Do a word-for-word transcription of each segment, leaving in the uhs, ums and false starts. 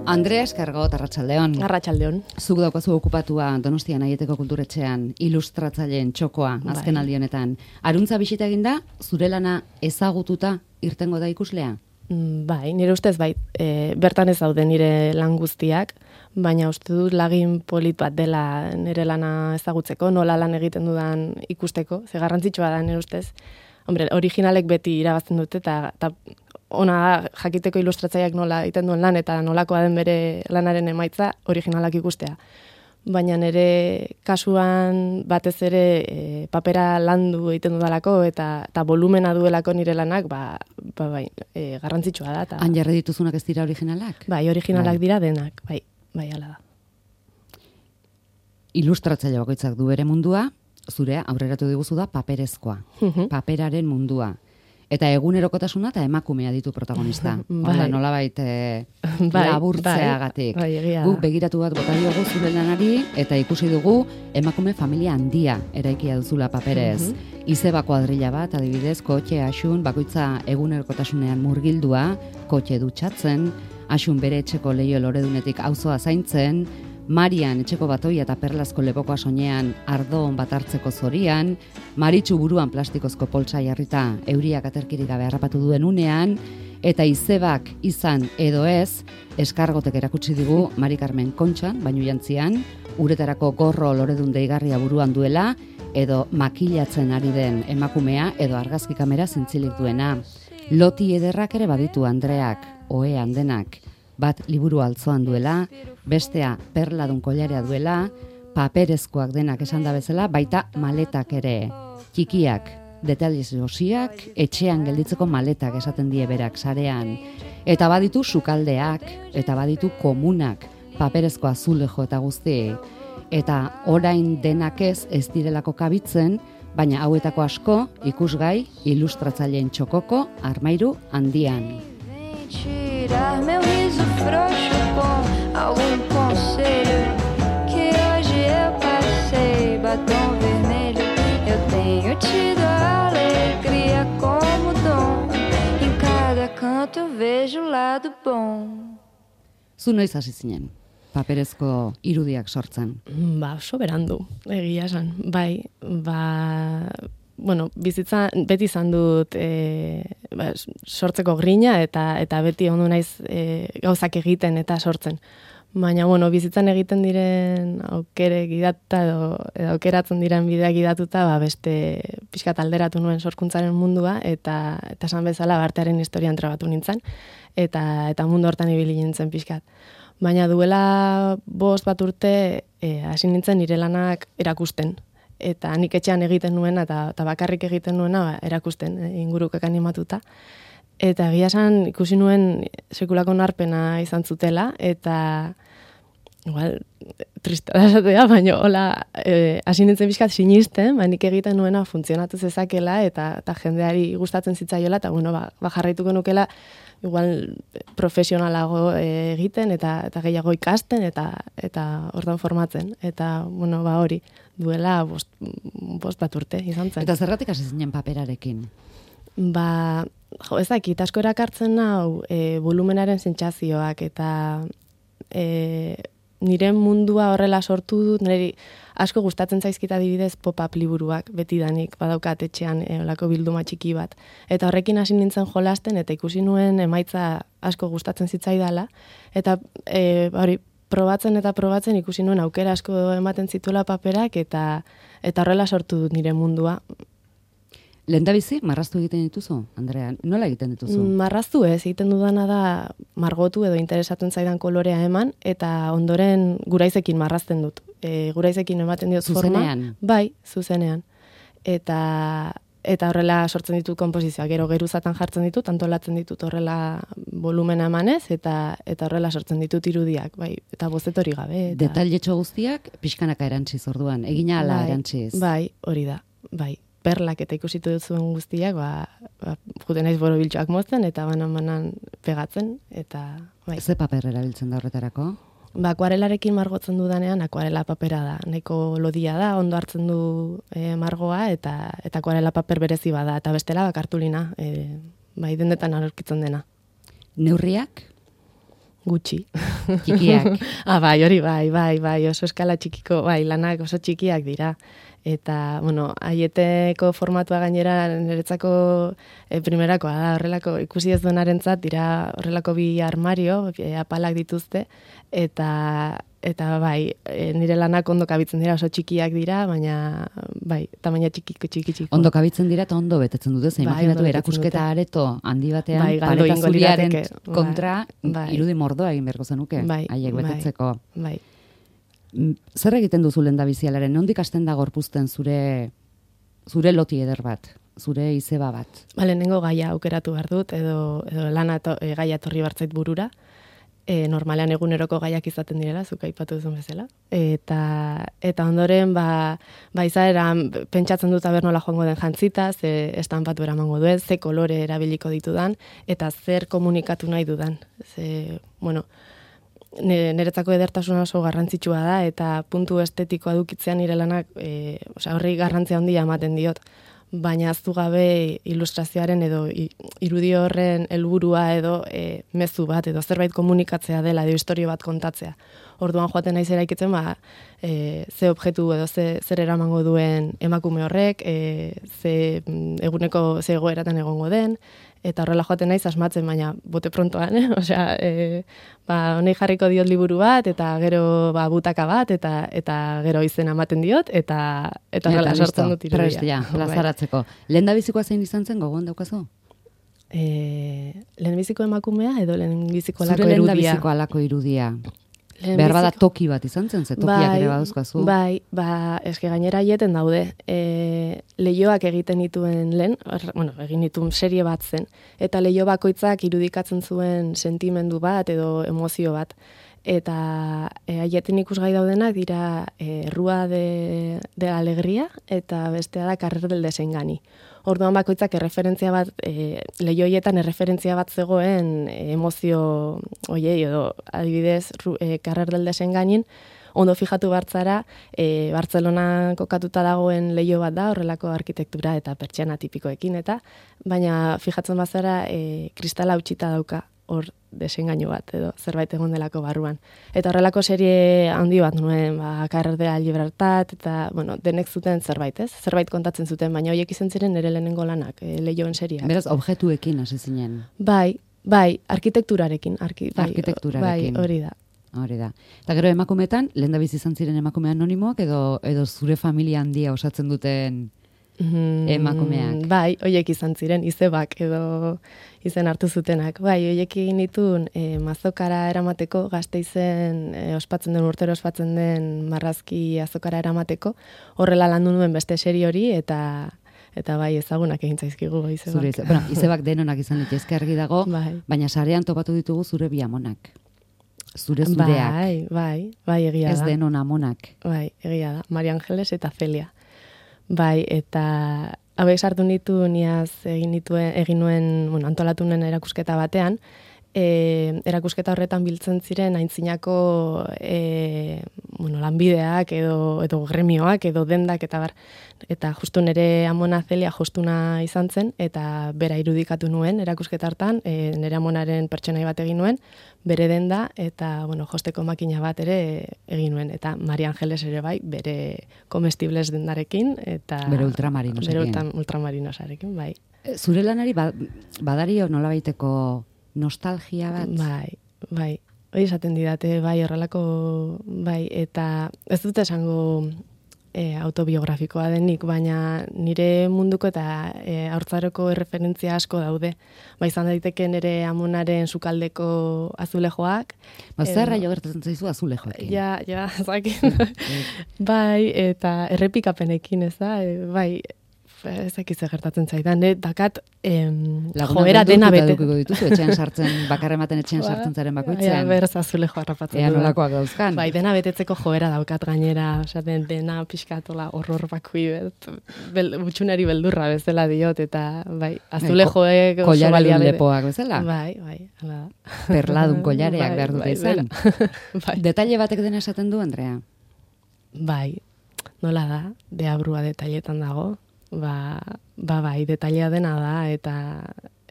Andrea Eskargot, Arratsaldeon. Arratsaldeon. Zuk daukazu okupatua Donostian Aieteko Kulturetxean ilustratzaileen txokoa azken Bai. aldi honetan. Aruntza bisita eginda, zure lana ezagututa irtengo da ikuslea? Mm, Bai, nire ustez bai, e, bertan ez daude nire lan guztiak, baina uste dut lagin polit bat dela nire lana ezagutzeko, nola lan egiten dudan ikusteko, ze garrantzitsua da nire ustez. Hombre, originalek beti irabazten dute, eta, eta ona jakiteko ilustratzaileak nola egiten duen lan, eta nolakoa den bere lanaren emaitza originalak ikustea. Baina nire kasuan batez ere e, papera landu egiten dudalako, eta, eta volumena duelako nire lanak, ba, ba bai, e, garrantzitsua da. Ta, Han jarri dituzunak ez dira originalak? bai, originalak Bai. dira denak, bai, bai, hala da. Ilustratzaile bakoitzak du bere mundua, zure aurreratu diguzu da paperezkoa, Mhm. paperaren mundua. Eta egunerokotasuna eta emakumea ditu protagonista. Bai. Hola, nolabait eh, Bai, laburtzeagatik. bai, bai, egia da. Guk begiratu bat bota diogu zure lanari eta ikusi dugu emakume familia handia eraikia duzula paperez. Izeba kuadrilla bat, adibidez, kotxe, asun, bakoitza egunerokotasunean murgildua, kotxe dutxatzen, asun bere etxeko leio loredunetik auzoa zaintzen, Marian etxeko batoia eta perlazko lepokoa soinean ardoon bat hartzeko zorian, Maritxu buruan plastikozko poltsa jarrita euriak aterkirik gabe harrapatu duen unean, eta Izebak izan edo ez, Eskargotek erakutsi digu Mari Carmen Kontxan, bainu jantzian, uretarako gorro loredun deigarria buruan duela, edo makilatzen ari den emakumea, edo argazki kamera zintzilik duena. Loti ederrak ere baditu Andreak, ohean denak, bat liburu altzoan duela, bestea perladun kollarea duela, paperezkoak denak esan da bezala, baita maletak ere. Txikiak, detaliz osiak, etxean gelditzeko maletak esaten die berak sarean. Eta baditu sukaldeak, eta baditu komunak, paperezko azulejo eta guzti. Eta orain denak ez ez direlako kabitzen, baina hauetako asko ikusgai ilustratzaileen txokoko armairu handian. Tirar meu riso frouxo com algum conselho que hoje eu passei batom vermelho. Eu tenho tido a alegria como dom. Em cada canto vejo o lado bom. Zu noiz hasi zinen, paperezko irudiak sortzen? Ba, oso berandu, egia esan. Bai, ba, bueno, bizitza beti izan dut e, ba, sortzeko grina eta eta beti ondo naiz e, gauzak egiten eta sortzen. Baina, bueno, bizitzan egiten diren aukere gidatuta edo, edo aukeratzen diren bideak gidatuta, ba, beste pixkat alderatu nuen sorkuntzaren mundua eta eta esan bezala artearen historian trabatu nintzen eta eta mundu hortan ibili nintzen pixkat. Baina duela bost bat urte e, hasi nintzen nire lanak erakusten. Eta nik etxean egiten nuena eta, eta bakarrik egiten nuena ba, erakusten, e, ingurukak animatuta. Eta egia esan ikusi nuen sekulako narpena izan zutela, eta igual, trista da esatea, baina hola, e, hasi nintzen bizkat sinisten, ba, nik egiten nuena funtzionatu zezakela, eta, eta jendeari gustatzen zitzaiola, eta bueno, ba, ba jarraituko nukela, igual profesionalago e, egiten, eta, eta gehiago ikasten, eta eta hortan formatzen. Eta, bueno, ba hori, duela bost, bost bat urte izan zen. Eta zergatik hasi zinen paperarekin? Ba, jo, ez dakit, asko erakartzen hau e, volumenaren sentsazioak eta e, nire mundua horrela sortu dut, niri asko gustatzen zaizkit adibidez pop-up liburuak, betidanik badaukat etxean e, olako bilduma txiki bat. Eta horrekin hasi nintzen jolasten eta ikusi nuen emaitza asko gustatzen zitzaidala. Eta e, hori, probatzen eta probatzen ikusi nuen aukera asko ematen zituela paperak eta eta horrela sortu dut nire mundua. Lehendabizi, marraztu egiten dituzu, Andrea? Nola egiten dituzu? Marraztu ez, egiten dudana da margotu edo interesatzen zaidan kolorea eman, eta ondoren guraizekin marrazten dut. E, guraizekin ematen diot forma. Zuzenean? Bai, zuzenean. Eta eta horrela sortzen ditut konposizioak, gero geruzatan jartzen ditut, antolatzen ditut horrela volumena emanez, eta eta horrela sortzen ditut irudiak, bai, eta bozeto hori gabe. Eta... Detailetxo guztiak pixkanaka erantsiz orduan, egina ala bai, erantsiz. Bai, hori da, bai. Perlak eta ikusitu duzuen guztiak, ba, ba juten naiz borobiltxoak mozten, eta banan-banan pegatzen, eta bai. Ze paper erabiltzen da horretarako? Ba, akuarelarekin margotzen dudanean, akuarela papera da. Nahiko lodia da, ondo hartzen du e, margoa, eta eta akuarela paper berezi bada, eta bestela ba, kartulina, e, bai, dendetan aurkitzen dena. Neurriak? Gutxi. Txikiak. ah, bai, hori bai, bai, bai, oso eskala txikiko, bai, lanak oso txikiak dira. Eta, bueno, aieteko formatua gainera niretzako e, primerakoa da, horrelako ikusi ez duenarentzat dira horrelako bi armario, e, apalak dituzte, eta eta bai, e, nire lanak ondo kabitzen dira, oso txikiak dira, baina bai, tamaina txikiko txiki txiki. Ondo kabitzen dira eta ondo betetzen dute, ze bai, imaginatu erakusketa areto handi batean, bai, pareta zuriaren kontra bai, irudi mordoa egin beharko zenuke, bai, haiek betetzeko. Bai, bai. Zer egiten duzu lehendabizialaren? Nondik hasten da gorpuzten zure zure loti eder bat, zure izeba bat? Ba, lehenengo gaia aukeratu behar dut, edo, edo lana to, e, gaia torri bartzait burura. E, normalean eguneroko gaiak izaten direla, zuk aipatu duzun bezala. Eta, eta ondoren, ba, ba izaeran pentsatzen dut aber nola joango den jantzita, ze estanpatu eramango duen, ze kolore erabiliko ditudan, eta zer komunikatu nahi dudan. Ze, bueno, niretzako edertasuna oso garrantzitsua da, eta puntu estetikoa dukitzean nire lanak, e, osea, horri garrantzia handia ematen diot. Baina aztu gabe ilustrazioaren edo irudi horren helburua edo e, mezu bat edo zerbait komunikatzea dela edo historio bat kontatzea. Orduan joaten naiz eraikitzen ba, e, ze objektu edo ze, zer eramango duen emakume horrek, e, ze eguneko ze egoeratan egongo den, eta horrela joaten naiz asmatzen, baina bote prontoan, eh? Osea, e, ba, honei jarriko diot liburu bat, eta gero ba, butaka bat, eta eta gero izena ematen diot, eta eta horrela sortzen dut irudia. Prest, ja, plazaratzeko. Lehendabizikoa zein izan zen, gogoan daukazu? E, lehenbiziko emakumea edo lehenbiziko alako irudia? Zure irudia? lehendabiziko alako irudia. Behar bada toki bat izan zen, ze tokiak bai, ere baduzkazu. Bai, ba, eske gainera aieten daude. E, lehioak egiten dituen lehen, er, bueno, egin dituen serie bat zen, eta lehio bakoitzak irudikatzen zuen sentimendu bat edo emozio bat. Eta e, aieten ikusgai daudenak dira e, Rua de, de la Alegría eta bestea da Carrer del Desengani. Orduan bakoitzak erreferentzia bat, e, lehioietan erreferentzia bat zegoen e, emozio oiei, edo adibidez e, Carrer del Desenganin, ondo fijatu bartzara, e, Bartzelonan kokatuta dagoen lehio bat da, horrelako arkitektura eta pertsiana tipikoekin, eta baina fijatzen bazara e, kristala hautsita dauka hor desengainu bat, edo zerbait egon delako barruan. Eta horrelako serie handi bat nuen, ba, Carrer de la Libertad, eta, bueno, denek zuten zerbait, ez? Zerbait kontatzen zuten, baina horiek izan ziren nire lehenengo lanak, e, lehioen seriak. Beraz, objektuekin hasi zinen. Bai, bai, arkitekturarekin. Arki, bai, arkitekturarekin. Bai, hori da. Hori da. Eta gero emakumetan, lehendabizi izan ziren emakume anonimoak, edo, edo zure familia handia osatzen duten emakumeak. Mm, bai, hoiek izan ziren, izebak edo izen hartu zutenak. Bai, hoiek egin ditun e, mazokara eramateko, Gasteizen e, ospatzen den, urtero ospatzen den marrazki azokara eramateko, horrela landu nuen beste serie hori, eta eta bai ezagunak egin zaizkigu izebak. Zure, ize, bueno, izebak denonak izan litezke argi dago, bai. Baina sarean topatu ditugu zure bi amonak. Zure zureak. Bai, bai, bai, egia da. Ez denon amonak. Bai, egia da. Maria Angeles eta Celia. Bai, eta hauek sartu nitu niaz egin nituen egin nuen, bueno, antolatu nuen erakusketa batean, e, erakusketa horretan biltzen ziren aintzinako e, bueno, lanbideak edo edo gremioak edo dendak eta bar, eta justu nere amona Celia jostuna izan zen eta bera irudikatu nuen erakusketa hartan, e, nere amonaren pertsonai bat egin nuen, bere denda eta bueno, josteko makina bat ere egin nuen eta Maria Angeles ere bai, bere comestibles dendarekin eta bere ultramarinosarekin. Bere ultramarinosarekin, bai. Zure lanari ba, badario nolabaiteko nostalgia bat? Bai, bai. Hori esaten didate, bai, horrelako, bai, eta ez dut esango e, autobiografikoa denik, baina nire munduko eta e, haurtzaroko erreferentzia asko daude. Ba, izan daiteke nire amonaren sukaldeko azulejoak. Ba, zerra jo gertatzen zaizu azulejoekin? Ja, ja, zakin. Bai, eta errepikapenekin, ez da, e, bai, ez dakiz gertatzen zaidan, eh? Dakat em, joera dena bete. Lagunak dituzu, etxean sartzen, bakarren baten etxean sartzen zaren bakoitzen. Ja, berz azulejo harrapatzen. Ea nolakoak dauzkan. Bai, dena betetzeko joera daukat gainera, osea, den, dena pixkatola horror bakui, bel, utxunari beldurra bezala diot, eta bai, azulejoek oso balia kollaredun bere. lepoak bezala. Bai, bai, hala da. Perladun kollareak bai, behar dute bai, izan. bai. Detaile batek dena esaten du, Andrea? Bai, nola da, deabrua detailetan dago. Ba, ba bai, detailea dena da, eta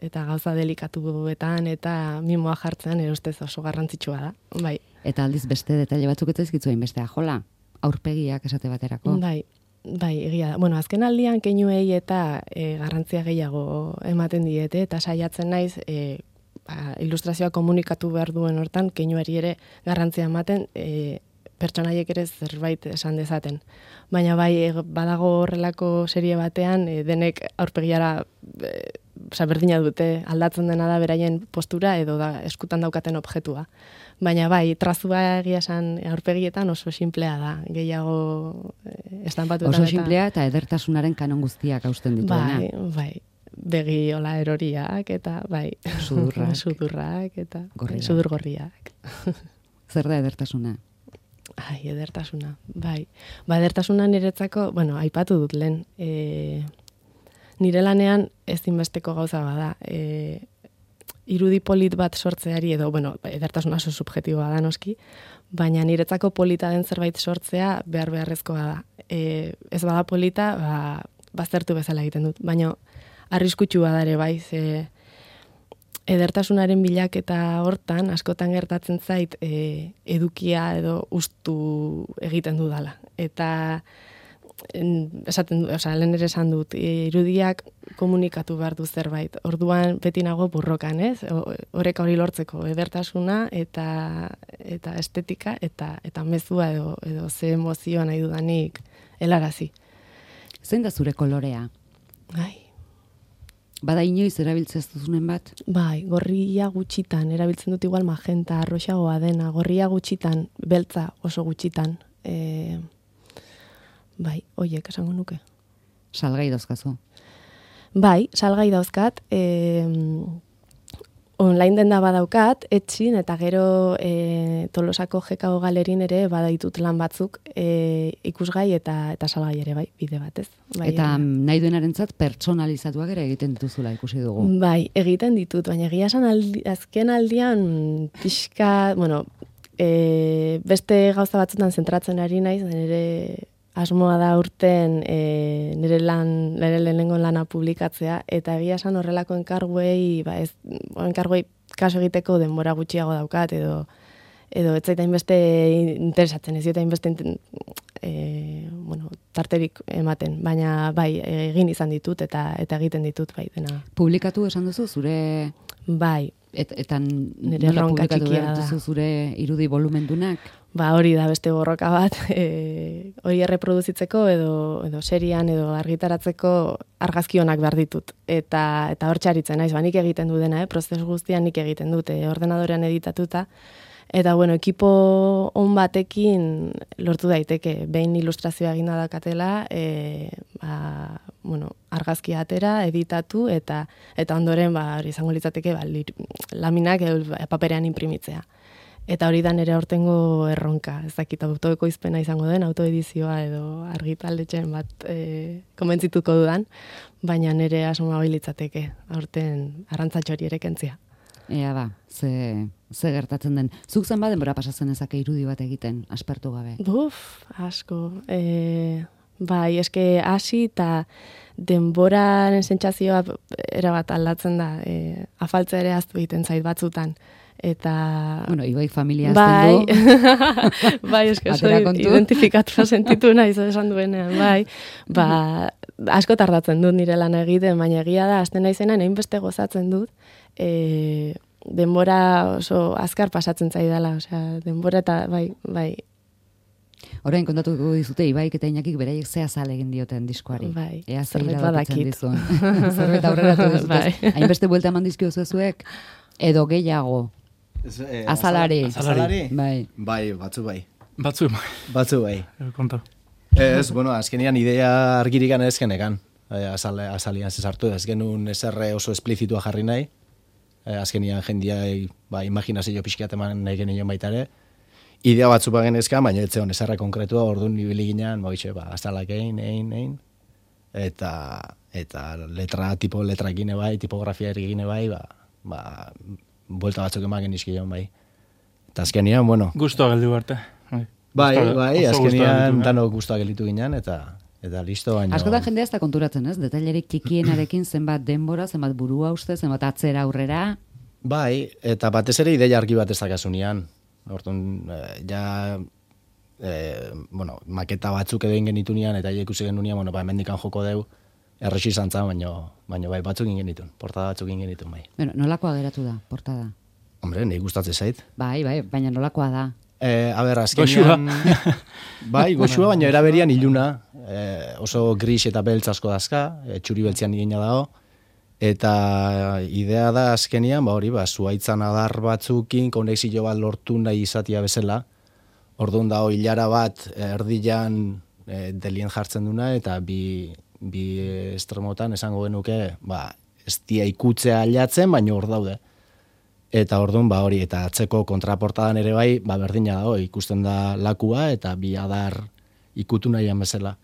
eta gauza delikatuetan eta mimoa jartzean ere ustez oso garrantzitsua da. Bai. Eta aldiz beste detaile batzuk ez zaizkizu hainbeste jola, aurpegiak esate baterako. Bai. Bai, egia da. Bueno, azken aldian keinuei eta e, garrantzia gehiago ematen diete eta saiatzen naiz e, ba, ilustrazioa komunikatu behar duen hortan keinuari ere garrantzia ematen e, pertsonaiek ere zerbait esan dezaten. Baina bai, badago horrelako serie batean, e, denek aurpegiara e, oza, berdina dute, aldatzen dena da beraien postura edo da eskutan daukaten objektua. Baina bai, trazua egia esan aurpegietan oso sinplea da, gehiago e, estanpatuetan. Oso sinplea eta edertasunaren kanon guztiak hausten dituena. Bai, bai. Begi hola eroriak eta bai, sudurrak, sudurrak eta gorriak. Sudur gorriak. Zer da edertasuna? Ai, edertasuna, bai. Ba, edertasuna niretzako, bueno, aipatu dut lehen, e, nire lanean ezinbesteko gauza bada, e, irudi polit bat sortzeari edo, bueno, edertasuna oso subjektiboa da noski, baina niretzako polita den zerbait sortzea behar beharrezkoa da. E, ez bada polita, ba, baztertu bezala egiten dut, baina arriskutsua da ere bai, ze edertasunaren bilaketa hortan, askotan gertatzen zait, e, edukia edo ustu egiten dudala. Eta en, esaten du, osea, lehen ere esan dut, e, irudiak komunikatu behar du zerbait. Orduan beti nago burrokan, ez? Horrek hori lortzeko edertasuna eta eta estetika eta eta mezua edo edo ze emozioa nahi dudanik helarazi. Zein da zure kolorea? Ai, Bada inoiz erabiltzen ez duzunen bat? bai, gorria gutxitan, erabiltzen dut igual magenta, arroxagoa dena, gorria gutxitan, beltza oso gutxitan. E, bai, oiek esango nuke. Salgai dauzkazu. Bai, salgai dauzkat, e, online denda badaukat, etxin, eta gero e, Tolosako Jekao galerin ere badaitut lan batzuk e, ikusgai eta eta salgai ere bai, bide batez. Bai, Eta e, nahi duenarentzat pertsonalizatuak ere egiten dituzula ikusi dugu. Bai, egiten ditut, baina egia esan aldi, azken aldian pixka, bueno, e, beste gauza batzutan zentratzen ari naiz, nire asmoa da urten e, nire lan, nire lehenengo lana publikatzea, eta egia esan horrelako enkarguei, ba ez, enkarguei kaso egiteko denbora gutxiago daukat, edo edo ez zaita inbeste interesatzen, ez zaita inbeste e, bueno, tarterik ematen, baina bai, egin izan ditut eta eta egiten ditut bai dena. Publikatu esan duzu zure Bai, et, eta nire nola erronka publikatu txikia behar da. duzu zure irudi volumendunak? Ba, hori da beste borroka bat, e, hori erreproduzitzeko edo edo serian edo argitaratzeko argazki onak behar ditut. Eta eta hor txaritzen naiz, ba nik egiten du dena, eh, prozesu guztian nik egiten dute, ordenadorean editatuta. Eta bueno, ekipo on batekin lortu daiteke, behin ilustrazioa eginda dakatela, e, ba, bueno, argazkia atera, editatu eta eta ondoren ba hori izango litzateke ba, laminak edo paperean inprimitzea. Eta hori da nire aurtengo erronka, ez dakit autoekoizpena izango den, autoedizioa edo argitaldetxen bat e, konbentzituko dudan, baina nire asmoa hori litzateke, aurten arrantzatxori ere kentzia. Ea ba, ze, ze gertatzen den. Zuk zen denbora pasatzen ezake irudi bat egiten, aspertu gabe. Buf, asko. E, bai, eske hasi eta denboraren sentsazioa erabat aldatzen da. E, afaltza ere aztu egiten zait batzutan. Eta... Bueno, Ibai familia bai, azten du. Bai, eske soy identifikatua sentitu naiz esan duenean, bai. Ba, asko tardatzen dut nire lana egiten, baina egia da, azten naizenan hainbeste gozatzen dut, e, denbora oso azkar pasatzen zaidala, osea, denbora eta bai, bai. Orain kontatuko dizute Ibaik eta Iñakik beraiek ze azal egin dioten diskoari. Bai, Ea zerbait zeira badakit. dizun. Zerbait aurreratu dizute. Bai. Hainbeste buelta eman dizkiozu zuek edo gehiago. Ez, eh, Azalari. Azalari? Bai. Bai, batzu bai. Batzu, Batzu bai. konta. Ez, bueno, azkenian idea argirikan ez genekan. Eh, azal, azalian zesartu, ez genuen eserre oso esplizitua jarri nahi. Eh, azkenian jendiai, ba, imaginazio pixkiat eman nahi genien baita ere. Idea batzu ba genezka, baina ez zeon eserre konkretua, orduan nibili ginen, ba, ba, azalak egin, egin, egin. Eta, eta letra, tipo letrakin bai, tipografia egin bai, ba, ba, buelta batzuk emaken izkion bai. Eta azkenian, bueno... Gustoa geldu arte. Bai, Gustoa- bai, oso gustoa azkenian gelditu, eh? danok gustoa gelditu ginen, eta eta listo, baina... Askotan jendea ez da konturatzen, ez? Detailerik txikienarekin zenbat denbora, zenbat burua uste, zenbat atzera aurrera. Bai, eta batez ere ideia argi bat ez dakasunean. Orduan, eh, ja, eh, bueno, maketa batzuk edo ingen nitunean, eta ikusi genunean, bueno, ba, hemendikan joko deu, erresi zantza, baina, baina bai, batzuk ingen nituen, portada batzuk ingen nituen, bai. Bueno, nolakoa geratu da, portada? Hombre, nahi gustatzen zait. Bai, bai, baina nolakoa da. Eh, a ber, azkenean... bai, goxua, baina eraberian iluna, eh, oso gris eta beltz asko dazka, eh, txuri beltzean igina dago, eta idea da azkenean, ba hori, ba, zuaitzan adar batzukin, konexio bat lortu nahi izatia bezala, orduan dago hilara bat erdian eh, delien jartzen duna, eta bi, bi estremotan esango genuke, ba, ez dia ikutzea ailatzen, baina hor daude. Eta orduan, ba hori, eta atzeko kontraportadan ere bai, ba berdina dago, ikusten da lakua, eta bi adar ikutu nahian bezala.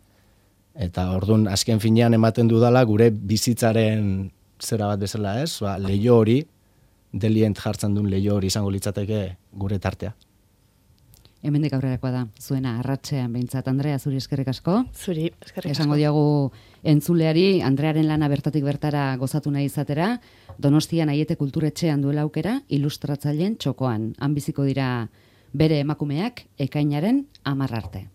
Eta orduan, azken finean ematen dudala, gure bizitzaren zera bat bezala ez, ba, leio hori, delient jartzen duen leio hori izango litzateke gure tartea. Hemendik aurrerakoa da, zuena arratsean behintzat. Andrea, zuri eskerrik asko. Zuri, eskerrik asko. Esango diagu entzuleari, Andrearen lana bertatik bertara gozatu nahi izatera, Donostian Aiete Kulturetxean duela aukera, ilustratzaileen txokoan. Han biziko dira bere emakumeak ekainaren hamar arte.